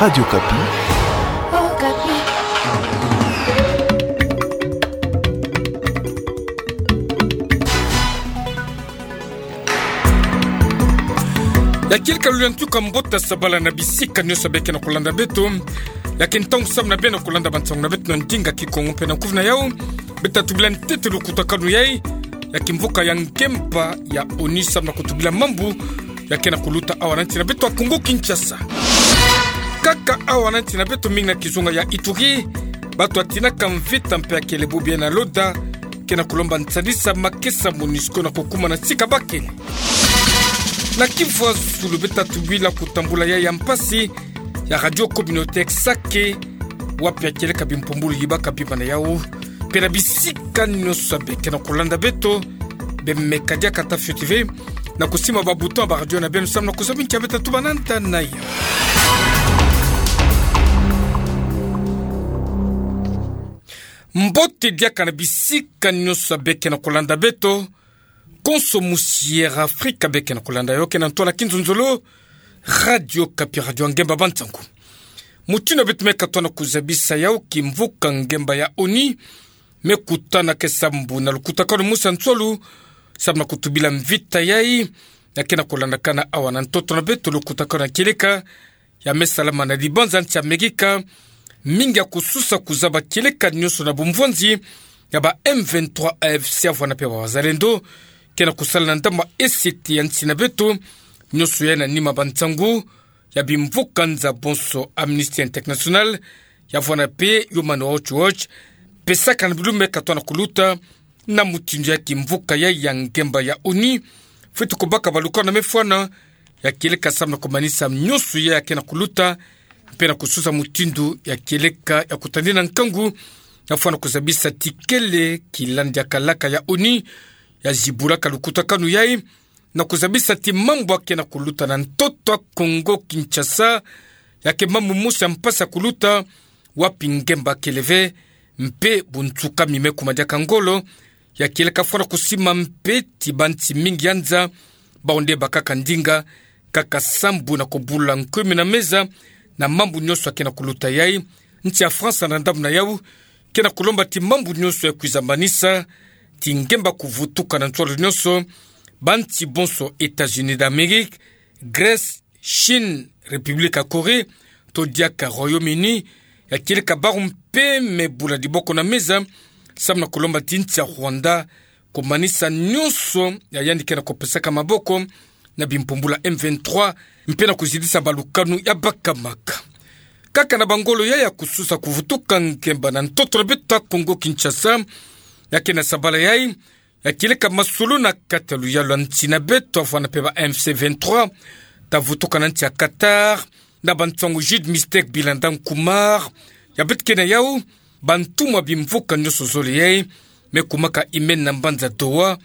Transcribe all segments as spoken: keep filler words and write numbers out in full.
Radio Okapi. Ya kieleka lolendo, ka mbote ya sabala na bisika nyonso beke na kolanda beto. Ya ke ntangu samu na beno kolanda bansangu na beto na ndinga Kikongo mpe na kuvuna yau. Beta tubila ntete lukutakanu yai ya kimvuka ya ngemba ya ONU samu na kutubila mambu ya ke na kuluta awa na nsi na beto ya Kongo Kinshasa. Kaka awa na nsi na beto, mingi na kizunga ya Ituri, bato ya tinaka mvita mpe ya kele bobi na loda ke na kulomba nsadisa makesa MONUSCO na kukuma na sika bakele. Na kifwa zulu beta tubila kutambula yai ya mpasi ya radio communautaire Sake, wapi ya kieleka bimpumbulu yibaka bima na yau. Mpe na bisika nyonso beke na kolanda beto, bemeka diaka ata fioti ve na kusimba ba bouton ya ba radio na beno samu na kuzabi ntia beta tuba na nta na yau. Mbote diaka na bisika nyonso beke na kolanda beto, konso musiera Afrika beke na kolanda yau ke na ntwala kinzonzolo, Radio Okapi, radio ya ngemba bansangu. Mutindu beto me katoa na kuzabisa yau, kimvuka ngemba ya ONU me kutana ke sambu na lukutakanu mosi ya nswalu samu na kutubila mvita yai ya ke na kolandakana awa na ntoto na beto, lukutakanu ya kieleka ya me salama na libanza nsi Amerika, mingi ya kususa kuzaba kieleka nyonso na bumvwanzi ya ba M vingt-trois A F C ya vwanda mpe ba wazalendo ke na kusala na ndambu ya esete ya nsi na beto, nyonso yai na nima bansangu ya bimvuka nza bonso, Amnesty International ya vwanda mpe Human Rights Watch, pesaka na bilumbu me katoa na kuluta na mutindu ya kimvuka yai ya ngemba ya ONU fweti kubaka balukanu na me fwana ya kieleka samu na kumanisa nyonso yai ya ke na kuluta, mpe na kususa mutindu ya kieleka ya kutadina nkangu, na fwana kuzabisa ti kele kilandi ya kalaka ya ONU ya zibulaka lukutakanu yai, na kuzabisa ti mambu ya ke na kuluta na ntoto ya Kongo Kinshasa ya ke mambu mosi ya mpasi ya kuluta, wapi ngemba kele ve, mpe bunsukami me kuma diaka ngolo, ya kieleka fwana kusimba mpe ti bansi mingi ya nza, bawu nde bakaka ndinga kaka sambu na kubula nkumina meza na mambu nyonso ya ke na kuluta yai. Nsi ya France na ndambu na yau ke na kulomba ti mambu nyonso ya kwiza manisa ti ngemba kuvutuka na nswalu nyonso, bansi bonso États-Unis d'Amérique, Grèce, Chine, République ya Corée, to diaka Royaume-Uni, ya kieleka bawu mpe me bula diboko na meza samu na kulomba ti nsi ya Rwanda kumanisa nyonso ya yandi ke na kupesaka maboko na bimpumbulu ya M vingt-trois, mpe na kuzidisa balukanu ya bakamaka. Kaka na bangolo yai ya kususa kuvutuka ngemba na ntoto na beto ya Kongo Kinshasa, ya ke na sabala yai ya kieleka masolo na kati ya luyalu ya nsi na beto ya vwanda mpe ba M C vingt-trois, ta vutuka na nsi ya Qatar, na bansangu Jude Mistek Bilanda Nkumar, ya beto ke na yau, bantumwa bimvuka nyonso zole yai me kumaka imeni na mbanza Doha,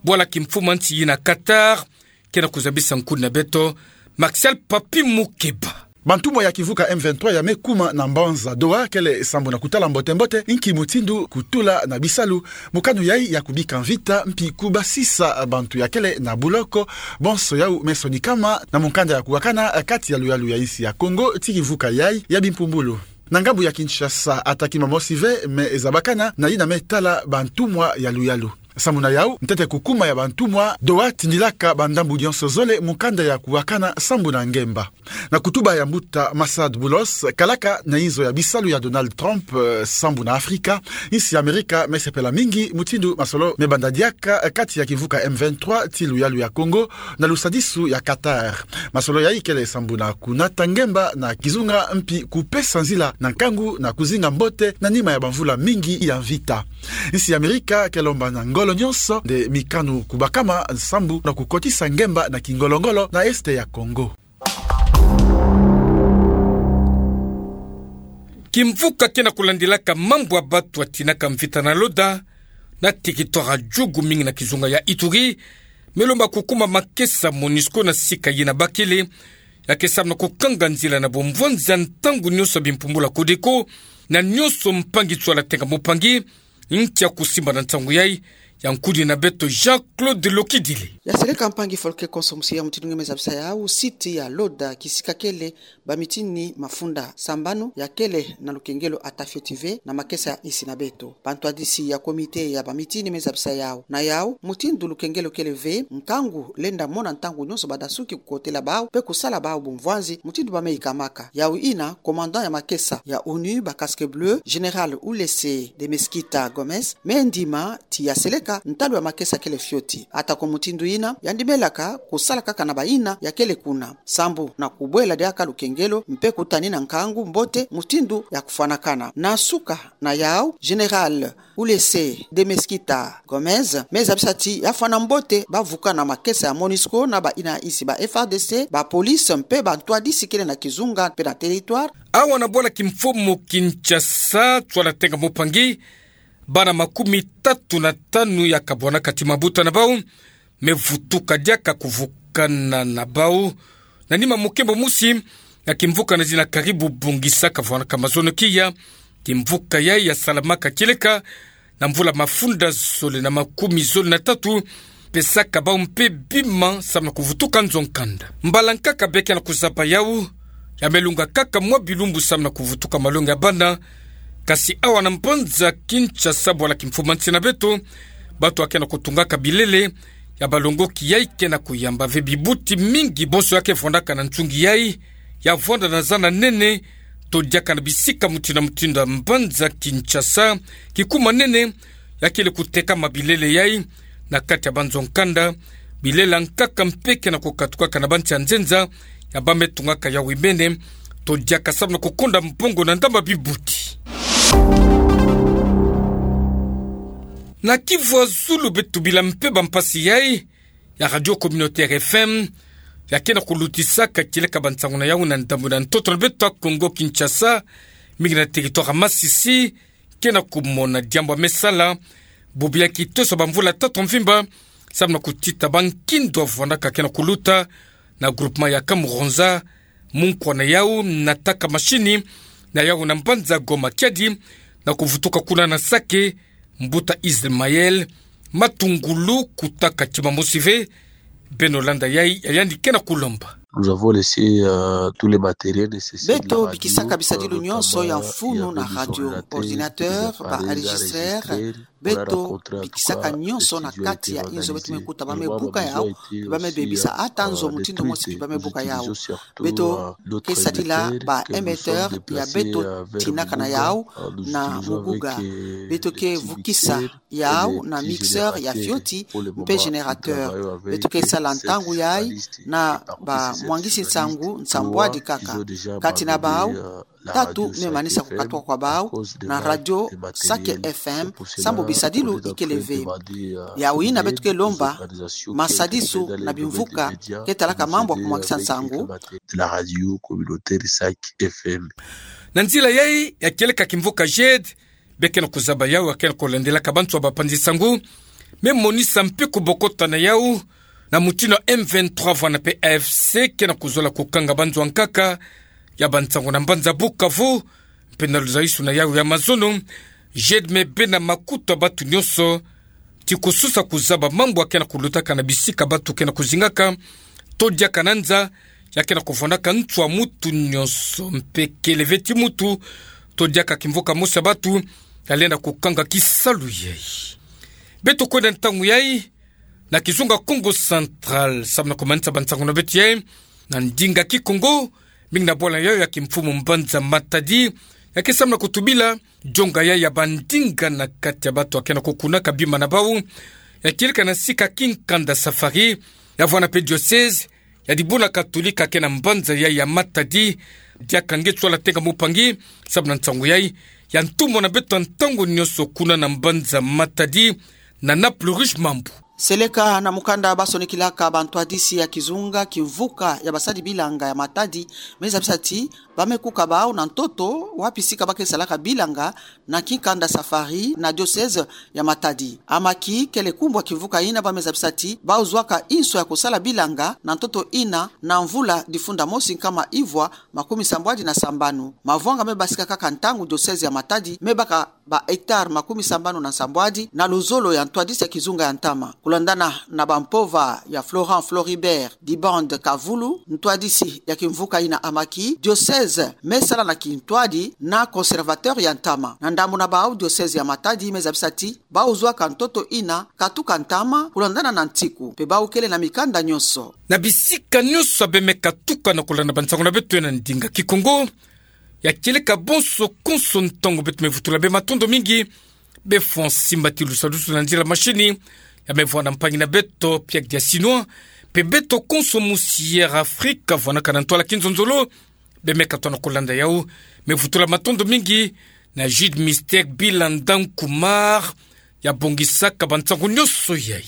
bwala kimfumu ya nsi yina Qatar, ke na kuzabisa nkuni na beto, Martial Papi Mukeba. Bantumwa ya kimvuka M vingt-trois ya me kuma na mbanza Doha kele sambu na kutala mbote-mbote inki mutindu kutula na bisalu mokano yai ya kubika mvita mpi kubasisa bantu ya kele na buloko, bonso yau me sonikama na mukanda ya kuwakana kati ya luyalu ya insi ya Kongo ti kimvuka yai ya bimpumbulu. Na ngambu ya Kinshasa, ata kima mosi ve me zabakana na yina me tala bantumwa ya luyalu. Sambu na yau, ntete kukuma ya bantumwa Doha tindilaka bandambu nyonso zole mukanda ya kuwakana sambu na ngemba. Na kutuba ya mbuta Massad Boulos, kalaka na inzo ya bisalu ya Donald Trump, eh, sambu na Afrika, insi ya Amerika me sepela mingi mutindu masolo me banda diaka kati ya kimvuka M vingt-trois ti luyalu ya Kongo, na lusadisu ya Qatar. Masolo yai kele sambu na kunata ngemba na kizunga mpi kupesa nzila na nkangu na kuzinga mbote na nima ya bamvula mingi ya mvita. Insi ya Amerika ke lomba na ngolo nyonso nde mikanu kubakama sambu na kukotisa ngemba na kingolo-ngolo na Est ya Kongo. Kimvuka ke na kulandilaka mambu ya batu ya tinaka mvita na loda na territoire ya Djugu, mingi na kizunga ya Ituri, me lomba kukuma makesa MONUSCO na sika yina bakele, ya ke samu na kukanga nzila na bumvwanzi ya ntangu nyonso ya bimpumbulu ya Codeco, na nyonso mpangi nswala tenga mupangi, ntia kusimba na nsangu yai, ya nkudi na beto Jean-Claude Lokidile. Ya seleka mpangi folklore konso musi ya mutindu nge me zabisa yau, site ya Loda, kisika kele bamitini mafunda sambanu ya kele na lukengelo ata fioti ve na makesa ya insi na beto. Bantwadisi ya comité ya bamitini me zabisa yau. Na yau, mutindu lukengelo kele ve, nkangu lenda mona ntangu nyonso badasuki kukotela bau, mpe kusala bau bumvwanzi, mutindu bame yikamaka. Yau ina, commandant ya makesa ya onu ba Casques Bleus, Général Ulysses de Mesquita Gomes, me ndima ti ya seleka ntalu ya makesa kele fioti. Atako mutindu ina, ya ndimelaka kusala kaka na bayina ya kele kuna. Sambu na kubwela diaka lukengelo, mpe kutanina nkangu mbote mutindu ya kufwanakana. Na suka na yau, Général Ulysses de Mesquita Gomes me zabisa ti ya fwana mbote bavuka na makesa ya MONUSCO na bayina insi ba F R D C, ba police mpe bantwadisi kele na kizunga mpe na territoire. Awa na bwala kimfumu Kinshasa, nswala tenga mpangi, bana makumi tatu na tanu ya kabwana kati mabuta na bau, me vutuka diaka kuvukana na bau. Na nima mukembo musi ya kimvuka na zina karibu bungisa kavwanaka mazono kia, kimvuka yai ya salamaka kieleka na mvula mafunda zole na makumi zole na tatu, pesaka bau mpe bima samu na kuvutuka nzo nkanda. Mbala nkaka beke na kuzaba yau, ya me lunga kaka mwa bilumbu samu na kuvutuka malongi ya bana, kasi awa na mbanza Kinshasa, bwala kimfumu nsi na beto, bato ya ke na kutungaka bilele ya balongoki yai ke na kuyamba ve. Bibuti mingi bonso ya ke vwandaka na nsungi yai, ya vwanda na zana nene, to diaka na bisika mutindu na mutindu ya mbanza Kinshasa, kikuma nene ya kele kutekama bilele yai na kati ya banzo nkanda, bilele ya nkaka mpe ke na kukatukaka na bansi ya nzenza, ya ba me tungaka yau imene, to diaka samu na kukonda mbongo na ndamba bibuti. Na Kivu ya Zulu beto bila mpe bampasi yai ya Radio Communautaire F M, ya ke na kulutisaka kieleka bansangu na yau na ndambu na ntoto na beto ya Kongo Kinshasa, mingi na territoire ya Masisi, ke na kumona diambu ya me sala, bobu ya kitosa bamvula tatu mvimba, samu na kutita bankindu ya vwandaka ke na kuluta na groupement ya Kamuronza, munkwa na yau na taka mashini na yau na mbanza Goma, kiadi na kuvutuka kuna na Sake, mbuta Ismaël Matungulu, kutaka tima mosi ve. Beno landa yai ya yandi ke na kulomba. Nous avons laissé, euh, tous les matériels nécessaires de la radio, euh, notamment, euh, il y a pas réseau, il y a pas de réseau. Beto bikisaka bisadilu nyonso ya mfunu na radio, ordinateur, ba enregistreur, beto bikisaka nyonso na kati ya inzo beto me kuta. Ba me buka yau, ba me bebisa ata nzo mutindu mosi ba me buka yau. Beto ke sadila ba émetteur ya beto tinaka na yau na muguga. Beto ke vukisa yau na mixeur ya fioti mpe générateur. Beto ke sala ntangu yai na bamwangisi nsangu nsambwadi kaka. Kati na bau, tatu me manisa kukatuka kwa bau na radio Sake F M, sambu bisadilu ikele ve. Yau ina beto ke lomba masadisu na bimvuka ke talaka mambu ya kumwangisa nsangu. De la radio communautaire Sake F M. Na nzila yai ya kieleka kimvuka G E D, beke na kuzaba yau ya ke na kulandelaka bantu ya bapanzi nsangu, me monisa mpe kubokota na yau na mutindu ya M vingt-trois vwanda mpe A F C ke na kuzola kukanga banzo ya nkaka ya bansangu na mbanza Bukavu, mpe na luzayisu na yau ya mazono, G E D me bena makutu ya bantu nyonso ti kususa kuzaba mambu ya ke na kulutaka na bisika bantu ke na kuzingaka, to diaka na nza ya ke na kuvwandaka ntu ya mutu nyonso, mpe kele ve ti mutu to diaka kimvuka mosi ya bantu ya lenda kukanga kisalu yai. Beto kwenda ntangu yai na kizunga Kongo Central, samu na kumanisa bansangu na beto yai na ndinga Kikongo, mingi na bwala yau ya kimfumu mbanza Matadi, ya ke samu na kutubila jonga yai ya bandinga na kati ya bantu ya ke na kukunaka bima na bau, ya kieleka na sika kinkanda Safari, ya vwanda mpe diocèse ya dibuna katolika ke na mbanza yai ya Matadi. Diaka nge nswala tenga mpangi, samu na nsangu yai ya ntumwa na beto ya ntangu nyonso kuna na mbanza Matadi, na Naples Rouge Mambu. Seleka na mukanda basonikilaka bantwadisi ya kizunga kimvuka ya basadi bilanga ya Matadi, me zabisa ti ba me kuka bau na ntoto, wapi sika ba ke salaka bilanga na kinkanda Safari na diocèse ya Matadi. Amaki kele kumbu ya kimvuka ina ba me zabisa ti bau zwaka inso ya kusala bilanga na ntoto ina na mvula difunda mosi nkama ivwa makumi sambwadi na sambanu. Mavwanga me basika kaka ntangu diocèse ya Matadi me baka ba hectare makumi sambanu na nsambwadi na luzolo ya ntwadisi ya kizunga ya ntama. Kulandana na bampova ya Florent Floribert Dibande Kavulu, ntwadisi ya kimvuka ina Amaki, diocèse me sala na kintwadi na conservateur ya ntama. Na ndambu na bau, diocèse ya Matadi me zabisa ti bau zwa ka ntoto ina katuka ntama kulandana na ntiku, mpe bau kele na mikanda nyonso. Na bisika nyonso abe me katuka na kulanda bansango na beto na ndinga Kikongo, ya kieleka bonso konso ntangu beto me vutula be matondo mingi be fwa nsimbati lusadusu na nzila mashini ya me vwa na mpangi na beto Pierre Diasinois, mpe beto konso musi Air Afrique vwanaka na ntwala kinzonzolo, be me katona kulanda yau. Me vutula matondo mingi na Jude Mystère Bilanda Nkumar, ya bongisaka bansango nyonso yai.